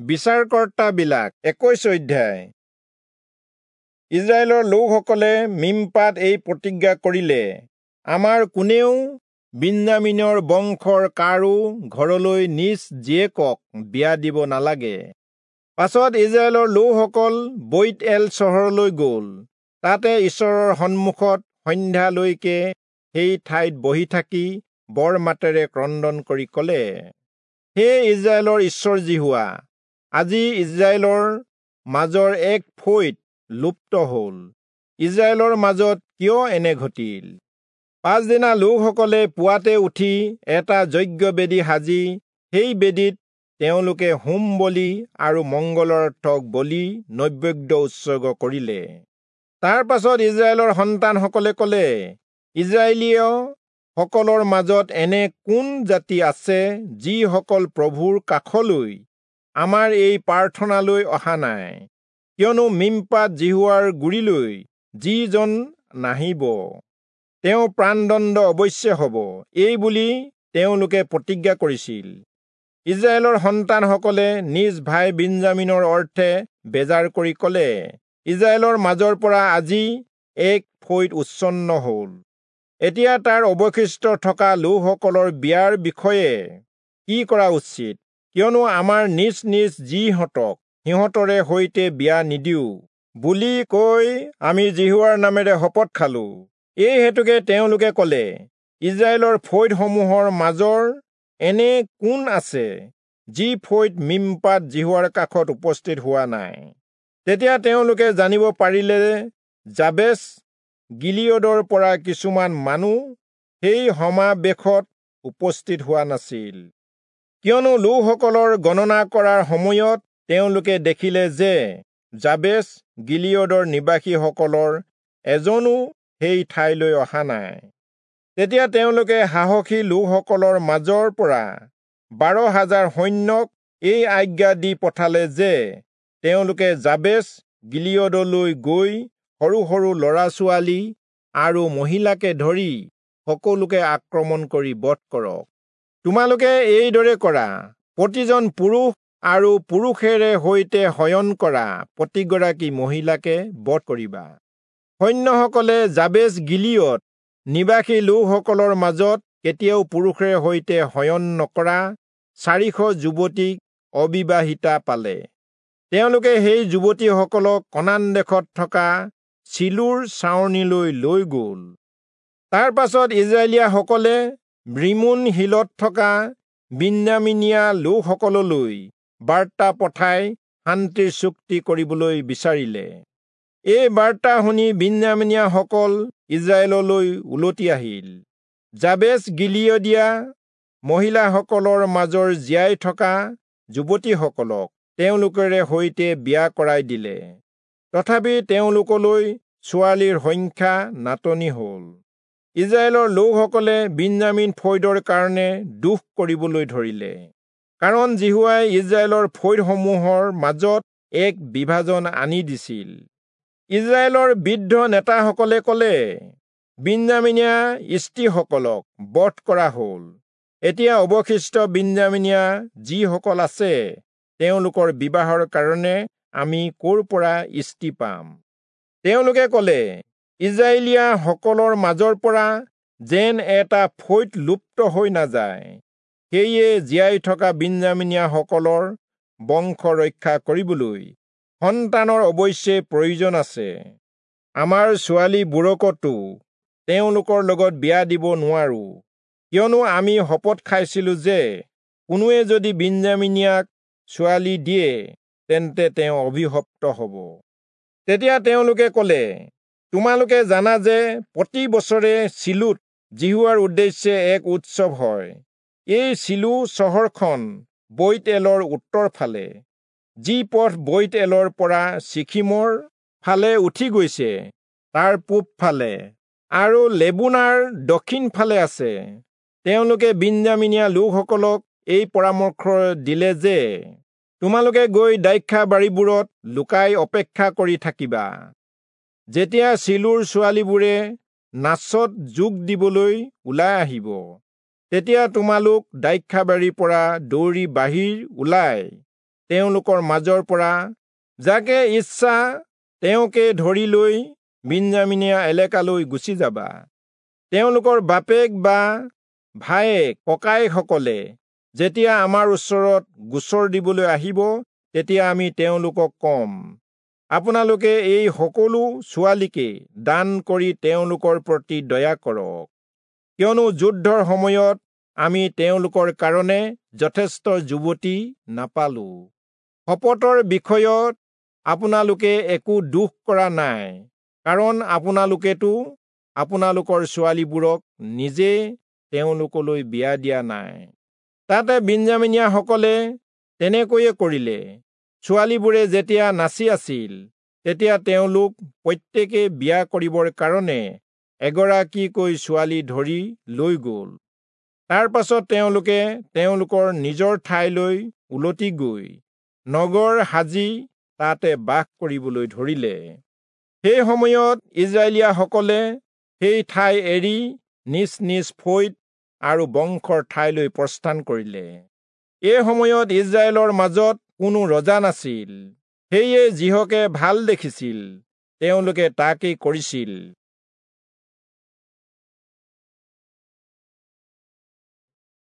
বিচাৰকৰ্তাবিলাক 21 অধ্যায়। ইস্ৰায়েলৰ লোকসকলে মিম্পাত এই প্ৰতিজ্ঞা কৰিলে, আমাৰ কোনেও বিন্যামীনৰ বংশৰ কাৰো ঘৰলৈ নিজ জীয়েকক বিয়া দিব নালাগে। পাছত ইস্ৰায়েলৰ লোকসকল বৈৎএল চহৰলৈ গ'ল। তাতে ঈশ্বৰৰ সন্মুখত সন্ধ্যালৈকে সেই ঠাইত বহি থাকি বৰ মাতেৰে ক্ৰন্দন কৰি ক'লে, হে ইস্ৰায়েলৰ ঈশ্বৰ যিহোৱা, আজি ইস্ৰায়েলৰ মাজৰ এক ফৈদ লুপ্ত হ'ল। ইস্ৰায়েলৰ মাজত কিয় এনে ঘটিল? পাছদিনা লোকসকলে পুৱাতে উঠি এটা যজ্ঞবেদী সাজি সেই বেদীত তেওঁলোকে হোম বলি আৰু মংগলাৰ্থক বলি নৈবেদ্য উৎসৰ্গ কৰিলে। তাৰ পাছত ইস্ৰায়েলৰ সন্তানসকলে ক'লে, ইস্ৰায়েলীয় সকলৰ মাজত এনে কোন জাতি আছে যিসকল প্ৰভুৰ কাষলৈ আমাৰ এই প্ৰাৰ্থনালৈ অহা নাই? কিয়নো মিম্পাত যিহোৱাৰ গুৰিলৈ যিজন নাহিব, তেওঁ প্ৰাণদণ্ড অৱশ্যে হ'ব, এই বুলি তেওঁলোকে প্ৰতিজ্ঞা কৰিছিল। ইস্ৰায়েলৰ সন্তানসকলে নিজ ভাই বিন্যামীনৰ অৰ্থে বেজাৰ কৰি ক'লে, ইস্ৰায়েলৰ মাজৰ পৰা আজি এক ফৈদ উচ্ছন্ন হ'ল। এতিয়া তাৰ অৱশিষ্ট থকা লোকসকলৰ বিয়াৰ বিষয়ে কি কৰা উচিত? কিয়নো আমাৰ নিজ নিজ জীহঁতক সিহঁতৰে সৈতে বিয়া নিদিওঁ বুলি কৈ আমি যিহোৱাৰ নামেৰে শপত খালো। এই হেতুকে তেওঁলোকে ক'লে, ইস্ৰায়েলৰ ফৈদসমূহৰ মাজৰ এনে কোন আছে যি ফৈদ মিম্পাত যিহোৱাৰ কাষত উপস্থিত হোৱা নাই? তেতিয়া তেওঁলোকে জানিব পাৰিলে যাবেচ গিলিয়দৰ পৰা কিছুমান মানুহ সেই সমাৱেশত উপস্থিত হোৱা নাছিল। কিয়নো লোকসকলৰ গণনা কৰাৰ সময়ত তেওঁলোকে দেখিলে যে যাবেচ গিলিয়দৰ নিবাসীসকলৰ এজনো সেই ঠাইলৈ অহা নাই। তেতিয়া তেওঁলোকে সাহসী লোকসকলৰ মাজৰ পৰা 12,000 সৈন্যক এই আজ্ঞা দি পঠালে যে তেওঁলোকে যাবেচ গিলিয়দলৈ গৈ সৰু সৰু ল'ৰা ছোৱালী আৰু মহিলাকে ধৰি সকলোকে আক্ৰমণ কৰি বধ কৰক। তোমালোকে এইদৰে কৰা, প্ৰতিজন পুৰুষ আৰু পুৰুষেৰে সৈতে শয়ন কৰা প্ৰতিগৰাকী মহিলাকে বধ কৰিবা। সৈন্যসকলে যাবেচ গিলিয়দ নিবাসী লোকসকলৰ মাজত কেতিয়াও পুৰুষেৰে সৈতে শয়ন নকৰা 400 যুৱতীক অবিবাহিতা পালে। তেওঁলোকে সেই যুৱতীসকলক কনান দেশত থকা চিলোৰ ছাউনিলৈ লৈ গ'ল। তাৰ পাছত ইস্ৰায়েলীয়াসকলে ৰিমোন শিলত থকা বিন্যামীনীয়া লোকসকললৈ বাৰ্তা পঠাই শান্তিৰ চুক্তি কৰিবলৈ বিচাৰিলে। এই বাৰ্তা শুনি বিন্যামীনীয়াসকল ইস্ৰায়েললৈ উলটি আহিল। যাবেচ গিলিয়দীয়া মহিলাসকলৰ মাজৰ জীয়াই থকা যুৱতীসকলক তেওঁলোকেৰে সৈতে বিয়া কৰাই দিলে। তথাপি তেওঁলোকলৈ ছোৱালীৰ সংখ্যা নাটনি হ'ল। ইস্ৰায়েলৰ লোকসকলে বিন্যামীন ফৈদৰ কাৰণে দুখ কৰিবলৈ ধৰিলে, কাৰণ যিহোৱাই ইস্ৰায়েলৰ ফৈদসমূহৰ মাজত এক বিভাজন আনি দিছিল। ইস্ৰায়েলৰ বৃদ্ধ নেতাসকলে ক'লে, বিন্যামীনীয়া স্ত্ৰীসকলক বধ কৰা হ'ল। এতিয়া অৱশিষ্ট বিন্যামীনীয়া যিসকল আছে তেওঁলোকৰ বিবাহৰ কাৰণে আমি ক'ৰ পৰা স্ত্ৰী পাম? তেওঁলোকে ক'লে, ইস্ৰায়েলীয়াসকলৰ মাজৰ পৰা যেন এটা ফৈদ লুপ্ত হৈ নাযায়, সেয়ে জীয়াই থকা বিন্যামীনীয়াসকলৰ বংশ ৰক্ষা কৰিবলৈ সন্তানৰ অৱশ্যে প্ৰয়োজন আছে। আমাৰ ছোৱালীবোৰকতো তেওঁলোকৰ লগত বিয়া দিব নোৱাৰো, কিয়নো আমি শপত খাইছিলো যে কোনোৱে যদি বিন্যামীনীয়াক ছোৱালী দিয়ে তেন্তে তেওঁ অভিশপ্ত হ'ব। তেতিয়া তেওঁলোকে ক'লে, তোমালোকে জানা যে প্ৰতি বছৰে চিলোত যিহোৱাৰ উদ্দেশ্যে এক উৎসৱ হয়। এই চিলো চহৰখন বৈৎএলৰ উত্তৰ ফালে, যি পথ বৈৎএলৰ পৰা চিখিমৰ ফালে উঠি গৈছে তাৰ পূব ফালে আৰু লেবোনাৰ দক্ষিণ ফালে আছে। তেওঁলোকে বিন্যামীনীয়া লোকসকলক এই পৰামৰ্শ দিলে যে তোমালোকে গৈ দ্ৰাক্ষাবাৰীবোৰত লুকাই অপেক্ষা কৰি থাকিবা। যেতিয়া চিলোৰ ছোৱালীবোৰে নাচত যোগ দিবলৈ ওলাই আহিব, তেতিয়া তোমালোক দ্ৰাক্ষাবাৰীৰ পৰা দৌৰি বাহিৰ ওলাই তেওঁলোকৰ মাজৰ পৰা যাকে ইচ্ছা তেওঁকে ধৰি লৈ বিন্যামীনীয়া এলেকালৈ গুচি যাবা। তেওঁলোকৰ বাপেক বা ভায়েক ককায়েকসকলে যেতিয়া আমাৰ ওচৰত গোচৰ দিবলৈ আহিব, তেতিয়া আমি তেওঁলোকক কম, আপোনালোকে এই সকলো ছোৱালীকে দান কৰি তেওঁলোকৰ প্ৰতি দয়া কৰক, কিয়নো যুদ্ধৰ সময়ত আমি তেওঁলোকৰ কাৰণে যথেষ্ট যুৱতী নাপালো। শপতৰ বিষয়ত আপোনালোকে একো দোষ কৰা নাই, কাৰণ আপোনালোকেতো আপোনালোকৰ ছোৱালীবোৰক নিজে তেওঁলোকলৈ বিয়া দিয়া নাই। তাতে বিন্যামীনীয়াসকলে তেনেকৈয়ে কৰিলে। ছোৱালীবোৰে যেতিয়া নাচি আছিল, তেতিয়া তেওঁলোক প্ৰত্যেকে বিয়া কৰিবৰ কাৰণে এগৰাকীকৈ ছোৱালী ধৰি লৈ গ'ল। তাৰ পাছত তেওঁলোকে তেওঁলোকৰ নিজৰ ঠাইলৈ উলটি গৈ নগৰ সাজি তাতে বাস কৰিবলৈ ধৰিলে। সেই সময়ত ইজৰাইলীয়াসকলে সেই ঠাই এৰি নিজ নিজ ফৈদ আৰু বংশৰ ঠাইলৈ প্ৰস্থান কৰিলে। এই সময়ত ইজৰাইলৰ মাজত কোনো ৰজা নাছিল, সেয়ে যিহকে ভাল দেখিছিল তেওঁলোকে তাকেই কৰিছিল।